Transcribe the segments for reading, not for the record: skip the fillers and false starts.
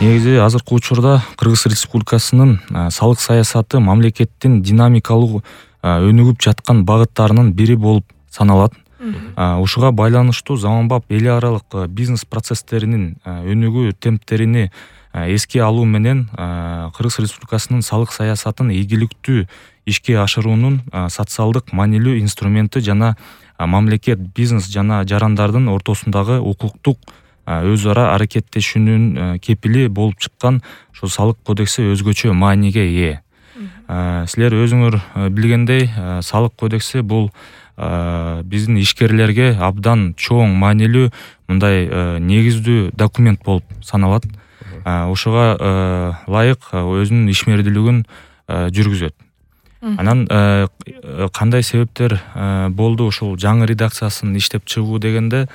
Негизи азыркы учурда Кыргыз Республикасынын салык саясаты мамлекеттин динамикалуу өнүгүп жаткан багыттарынын бири болуп саналат. Ушуга байланыштуу заманбап эл аралык бизнес процесстеринин өнүгүү темптерини эске алуу менен Кыргыз Республикасынын салык саясатын ийгиликтүү ишке ашыруунун социалдык маанилүү инструменти жана мамлекет, бизнес жана жарандардын ортосундагы укуктук өз ара аракеттешүүнүн кепили болуп чыккан ошо салык кодекси өзгөчө мааниге ээ. Силер өзүңөр билгендей, салык кодекси бул биздин ишкерлерге абдан чоң маанилүү мындай негиздүү документ болуп саналат. Ошого ылайык өзүнүн ишмердүүлүгүн жүргүзөт. Анан кандай себептер болду ушул жаңы редакциясын иштеп чыгуу дегенде,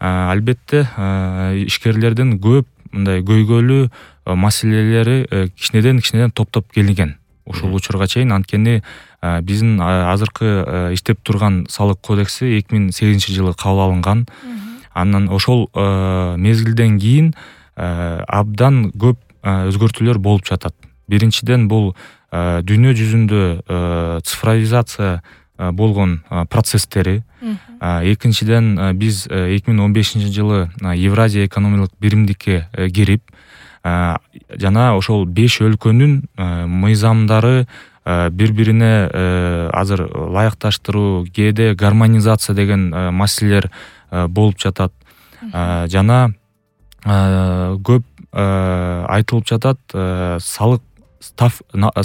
албетте ишкерлердин көп мындай көйгөйлүү маселелери кичинеден топтоп келинген ушул учурга чейин. Анткени биздин азыркы иштеп турган салык кодекси 2008-жылы кабыл алынган. Анан ошол мезгилден кийин абдан көп өзгөртүүлөр болуп жатат. Биринчиден бул дүйнө жүзүндө цифровизация болгон процесстери. Экинчиден биз 2015-жылы Евразия экономикалык биримдикке кирип, жана ошол 5 өлкөнүн мыйзамдары бири-бирине азыр ылайыкташтыруу, кээде гармонизация деген маселелер болуп жатат. Жана көп айтылып жатат,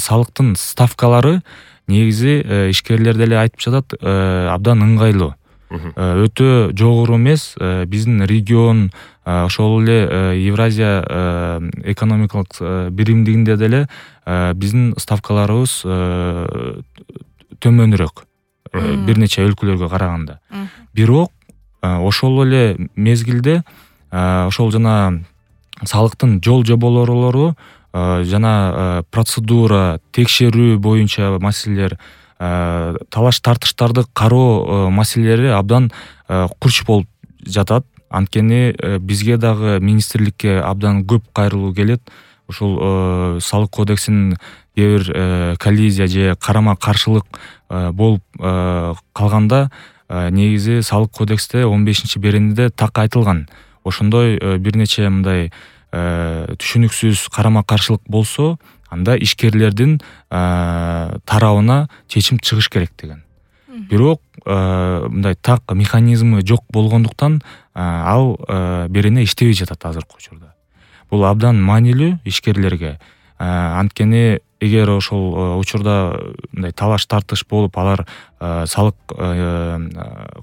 салыктын ставкалары негизи ишкерлер деле айтып жатат, абдан ыңгайлуу. Өтө жогору эмес. Биздин регион, ошол эле Евразия экономикалык биримдигинде деле биздин ставкаларыбыз төмөнүрөөк бир нече өлкөлөргө караганда. Бирок ошол эле мезгилде ошол жана салыктын жол жоболору жана процедура, текшерүү боюнча маселелер, талаш тартыштарды кароо маселелери абдан курч болуп жатат. Анткени бизге дагы министрликке абдан көп кайрылуу келет. Ушул салык кодексинин кээ бир коллизия же карама каршылык болуп калганда, негизи салык кодексте 15-беренеде так айтылган. Ошондой бир нече мындай түшүнүксүз карама каршылык болсо, анда ишкерлердин тарабына чечим чыгыш керек деген. Бирок мындай так механизмы жок болгондуктан ал берене иштебей жатат азыркы учурда. Бул абдан маанилүү ишкерлерге. Анткени эгер ошол учурда мындай талаш тартыш болуп, алар салык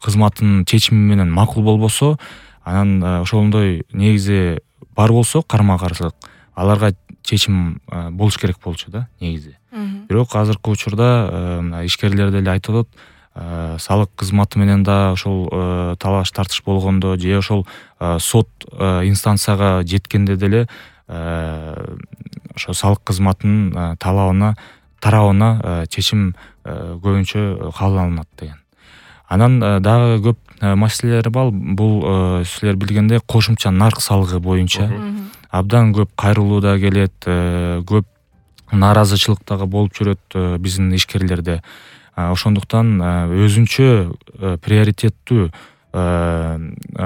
кызматынын чечими менен макул болбосо, анан ошондой негизи бар болсо карама каршылык, аларга чечим болуш керек болчу да негизи. Бирок азыркы учурда ишкерлер деле айтып атат, салык кызматы менен да ошол талаш тартыш болгондо же ошол сот инстанцияга жеткенде деле ошо салык кызматынын тарабына чечим көбүнчө кабыл алынат деген. Анан дагы көп маселелер бар. Бул силер билгендей кошумча нарк салыгы боюнча абдан көп кайрылуу да келет, көп нааразычылык дагы болуп жүрөт биздин ишкерлерде. Ошондуктан өзүнчө приоритеттүү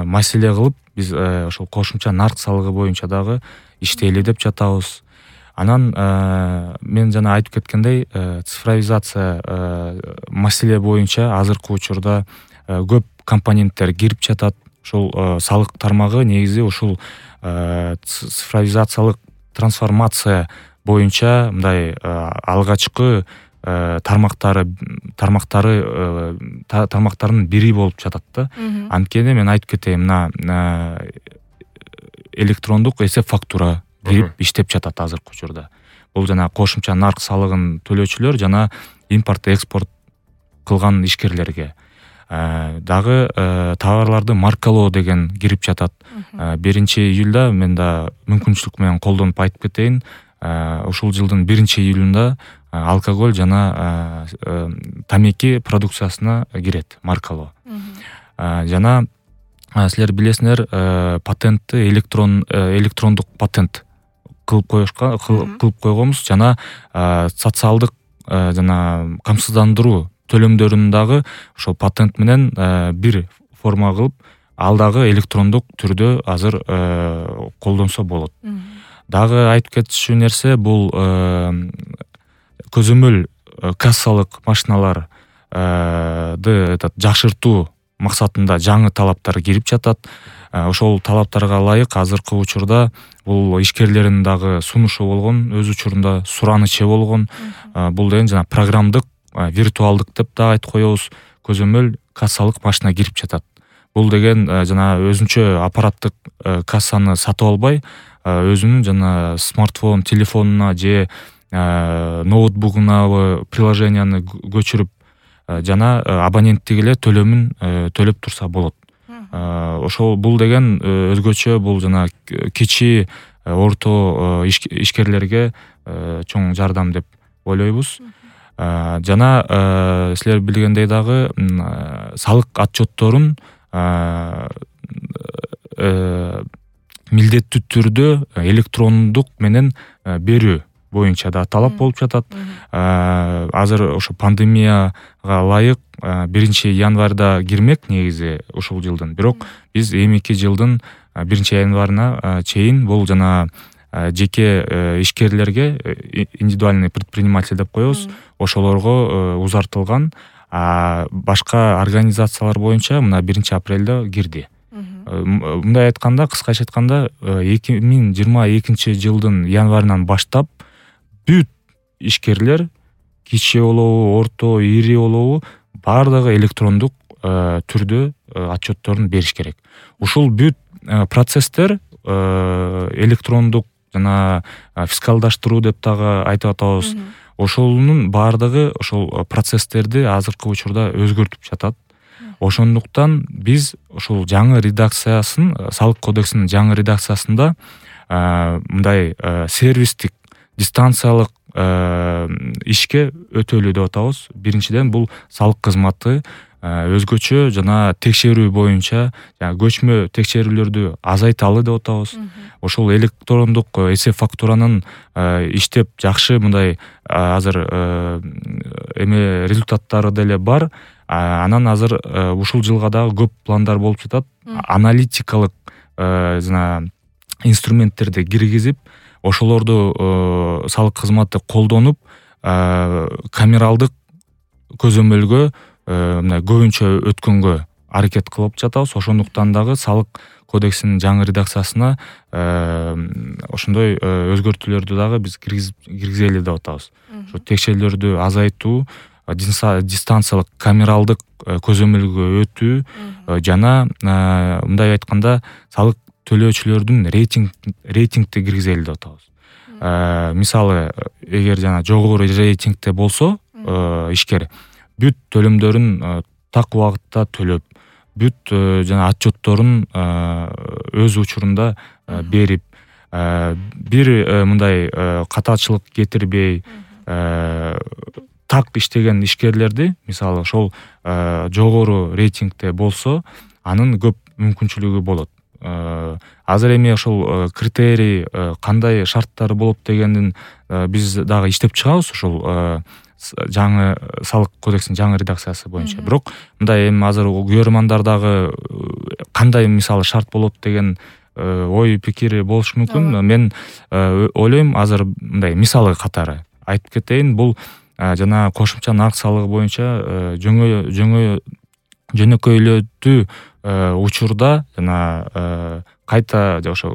маселе кылып биз ошол кошумча нарк салыгы боюнча дагы иштейли деп жатабыз. Анан мен жана айтып кеткендей, цифровизация маселе боюнча азыркы учурда көп компоненттер кирип жатат. Ошол салык тармагы негизи ушул цифровизациялык трансформация боюнча мындай алгачкы тармактарынын бири болуп жатат да. Анткени мен айтып кетейин, мына электрондук эсеп фактура кирип иштеп жатат азыркы учурда. Бул жана кошумча нарк салыгын төлөөчүлөр жана импорт экспорт кылган ишкерлерге. Дагы товарларды маркалоо деген кирип жатат. 1-июлда мен да мүмкүнчүлүк менен колдонуп айтып кетейин. Ушул жылдын 1-июлунда алкоголь жана тамеки продукциясына кирет маркалоо. Жана силер билесиңер, патентти электрондук патент кылып койгонбуз жана социалдык жана камсыздандыруу төлөмдөрүн дагы ошол патент менен бир форма кылып ал дагы электрондук түрдө азыр колдонсо болот. Дагы айтып кетчү нерсе бул көзөмөл кассалык машиналарды жакшыртуу максатында жаңы талаптар кирип жатат. Ошол талаптарга ылайык азыркы учурда бул ишкерлердин дагы сунушу болгон, өз учурунда суранычы болгон. Бул деген жана программдык, виртуалдык деп да айтып коебуз, көзөмөл кассалык машина кирип жатат. Бул деген жана өзүнчө аппараттык кассаны сатып албай, өзүнүн жана смартфон, телефонуна же ноутбугуна приложенияны көчүрүп жана абоненттик эле төлөмүн төлөп турса болот. Ошол бул деген өзгөчө бул жана кичи, орто ишкерлерге чоң жардам деп ойлойбуз. Жана силер билгендей дагы салык отчетторун милдеттүү түрдө электрондук менен берүү боюнча да талап болуп жатат. Азыр ошо пандемияга ылайык 1-январда кирмек негизи ушул жылдын. Бирок биз эмики жылдын 1-январына чейин бул жана жеке ишкерлерге, индивидуальный предприниматель деп коебуз, ошолорго узартылган. Башка организациялар боюнча мына 1-апрелде кирди. Мындай айтканда, кыскача айтканда, 2022 жылдын январынан баштап бүт ишкерлер, кичи болобу, орто, ири болобу, бардыгы электрондук түрдө отчетторун бериш керек. Ушул бүт процесстер электрондук жана фискалдаштыруу деп дагы айтып атабыз. Ошонун бардыгы ошол процесстерди азыркы учурда өзгөртүп жатат. Ошондуктан биз ошол жаңы редакциясын, салык кодексинин жаңы редакциясында мындай сервистик, дистанциялык ишке өтөлүү деп атабыз. Биринчиден бул салык кызматы өзгөчө жана текшерүү боюнча, көчмө текшерүүлөрдү азайталы деп атабыз. Ошол электрондук эсеп фактуранын иштеп жакшы мындай азыр результаттары деле бар. Анан азыр ушул жылга дагы көп пландар болуп жатат. Аналитикалык жана инструменттерди киргизип, ошолорду салык кызматы колдонуп, камералдык көзөмөлгө мындай көбүнчө өткөнгө аракет кылып жатабыз. Ошондуктан дагы салык кодексинин жаңы редакциясына ошондой өзгөртүүлөрдү дагы биз киргизели деп атабыз. Ошо текшерүүлөрдү азайтуу, дистанциялык камералдык көзөмөлгө өтүү жана мындай айтканда салык төлөөчүлөрдүн рейтингти киргизели деп атабыз. Мисалы, эгер жана жогору рейтингте болсо ишкер бүт төлөмдөрүн так убакытта төлөп, бүт жана отчетторун өз учурунда берип, бир мындай катачылык кетирбей, так иштеген ишкерлерди, мисалы, ошол жогору рейтингте болсо, анын көп мүмкүнчүлүгү болот. Азыр эми ошол критерий кандай шарттары болот дегендин биз дагы иштеп чыгабыз ошол жаңы салык кодексинин жаңы редакциясы боюнча. Бирок мындай эми азыр көрөрмандар дагы кандай мисалы шарт болот деген ой пикири болушу мүмкүн. Мен ойлойм, азыр мындай мисалы катары айтып кетейин. Бул жана кошумча нарк салыгы боюнча жөнөкөйлөтүү учурда жана кайта ошо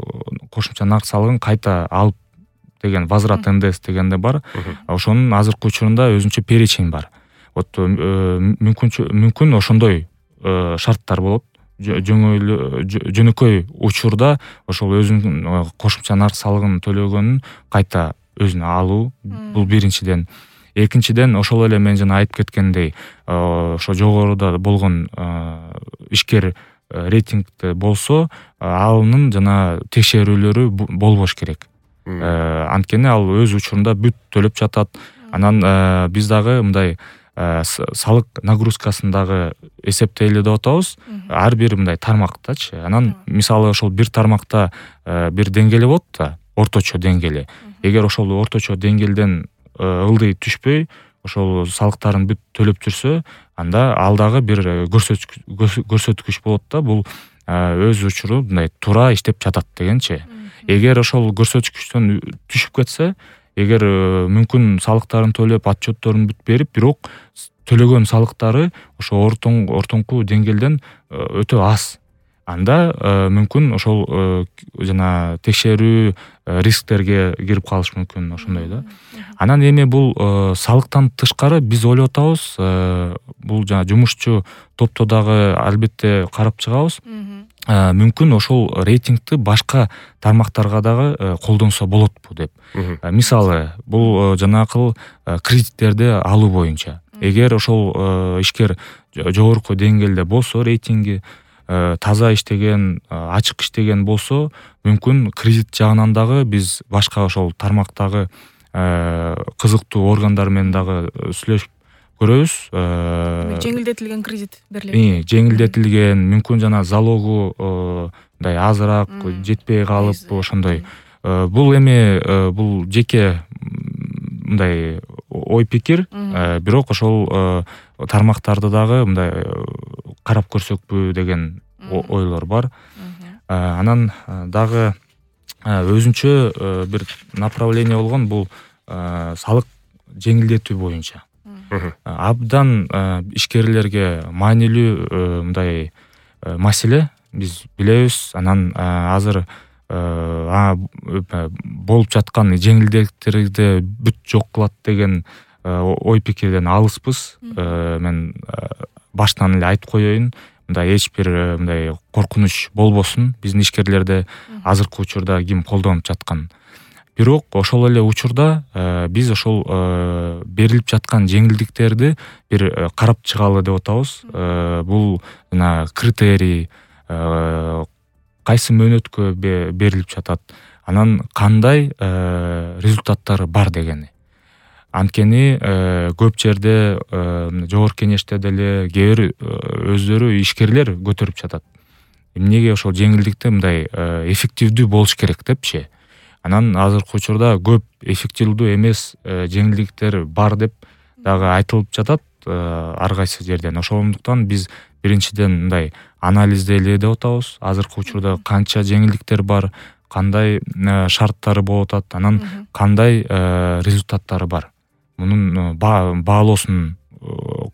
кошумча нарк салыгын кайта алып деген возврат НДС дегенде бар. Ошонун азыркы учурунда өзүнчө перечень бар. Вот мүмкүн ошондой шарттар болот. Жөнөкөй учурда ошол өзүнүн кошумча нарк салыгын төлөгөнүн кайта өзүнө алуу. Бул биринчиден. Экинчиден, ошол эле мен жана айтып кеткендей, ошо жогоруда болгон ишкер рейтингде болсо, анын жана текшерүүлөрү болбош керек. Анткени ал өз учурунда бүт төлөп жатат. Анан биз дагы мындай салык нагрузкасын дагы эсептейли деп атабыз. Ар бир мындай тармактачы. Анан мисалы ошол бир тармакта бир деңгээли болот да, орточо деңгээли. Эгер ошол орточо деңгээлден ылдый түшпөй ошол салыктарын бүт төлөп жүрсө, анда ал дагы бир көрсөткүч болот да, бул өз учуру мындай туура иштеп жатат дегенчи. Эгер ошол көрсөткүчтөн түшүп кетсе, эгер мүмкүн салыктарын төлөп, отчетторун бүт берип, бирок төлөгөн салыктары ошо ортоңку деңгээлден өтө аз, анда мүмкүн ошол жана текшерүү рисктерге кирип калыш мүмкүн, ошондой да. Анан эми бул салыктан тышкары биз ойлоп атабыз, бул жана жумушчу топто дагы албетте карап чыгабыз. Мүмкүн ошол рейтингти башка тармактарга дагы колдонсо болотпу деп. Мисалы, бул жанакыл кредиттерди алуу боюнча. Эгер ошол ишкер жогорку деңгээлде болсо, рейтинги таза иштеген, ачык иштеген болсо, мүмкүн кредит жагынан дагы биз башка ошол тармактагы кызыктуу органдар менен дагы сүйлөшүп көрөбүз. Жеңилдетилген кредит берилет. Жеңилдетилген, мүмкүн жана залогу мындай азыраак жетпей калып, ошондой. Бул эми бул жеке мындай ой пикир, бирок ошол тармактарды дагы мындай карап көрсөкпү деген ойлор бар. Анан дагы өзүнчө бир направление болгон, бул салык жеңилдетүү боюнча. Абдан ишкерлерге маанилүү мындай маселе, биз билебиз. Анан азыр болуп жаткан жеңилдиктерди бүт жок кылат деген ой пикирден алыспыз. Мен баштан эле айтып коеюн, мындай эч бир мындай коркунуч болбосун биздин ишкерлерде азыркы учурда ким колдонуп жаткан. Бирок ошол эле учурда биз ошол берилип жаткан жеңилдиктерди бир карап чыгалы деп атабыз. Бул жана критерий, кайсы мөөнөткө берилип жатат, анан кандай результаттары бар дегени. Анткени көп жерде жогорку кеңеште деле кээ бир өздөрү ишкерлер көтөрүп жатат. Эмнеге ошол жеңилдикте мындай эффективдүү болуш керек депчи. Анан азыркы учурда көп эффективдүү эмес жеңилдиктер бар деп дагы айтылып жатат ар кайсы жерден. Ошондуктан биз биринчиден мындай анализдейли деп атабыз. Азыркы учурда канча жеңилдиктер бар, кандай шарттары болуп атат, анан кандай результаттары бар. Мунун баалоосун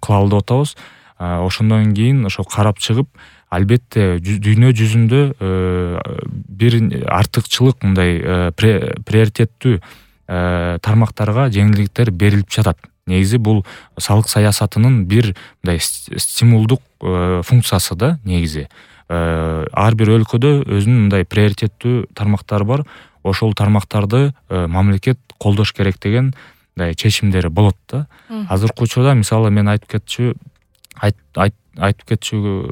кылалы деп атабыз. Ошондон кийин ошо карап чыгып, албетте дүйнө жүзүндө бир артыкчылык мындай приоритеттүү тармактарга жеңилдиктер берилип жатат. Негизи бул салык саясатынын бир мындай стимулдук функциясы да, негизи. Ар бир өлкөдө өзүнүн мындай приоритеттүү тармактары бар. Ошол тармактарды мамлекет колдош керек деген мындай чечимдери болот да. Азыркы учурда мисалы мен айтып кетчү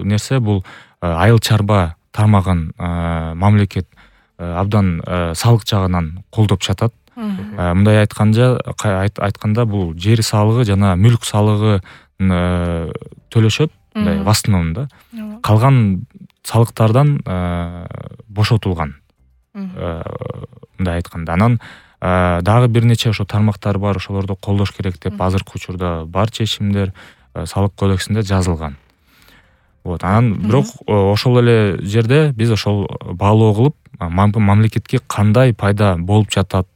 нерсе, бул айыл чарба тармагын мамлекет абдан салык жагынан колдоп жатат. Мындай айтканда бул жер салыгы жана мүлк салыгы төлөшөт, мындай в основном да. Калган салыктардан бошотулган. Мындай айтканда. Анан дагы бир нече ошо тармактар бар, ошолорду колдош керек деп азыркы учурда бар чечимдер салык кодексинде жазылган. Анан бирок ошол эле жерде биз ошол баалоо кылып, мамлекетке кандай пайда болуп жатат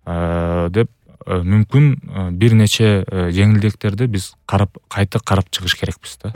деп мүмкүн бир нече жеңилдиктерди биз кайта карап чыгыш керекпиз да.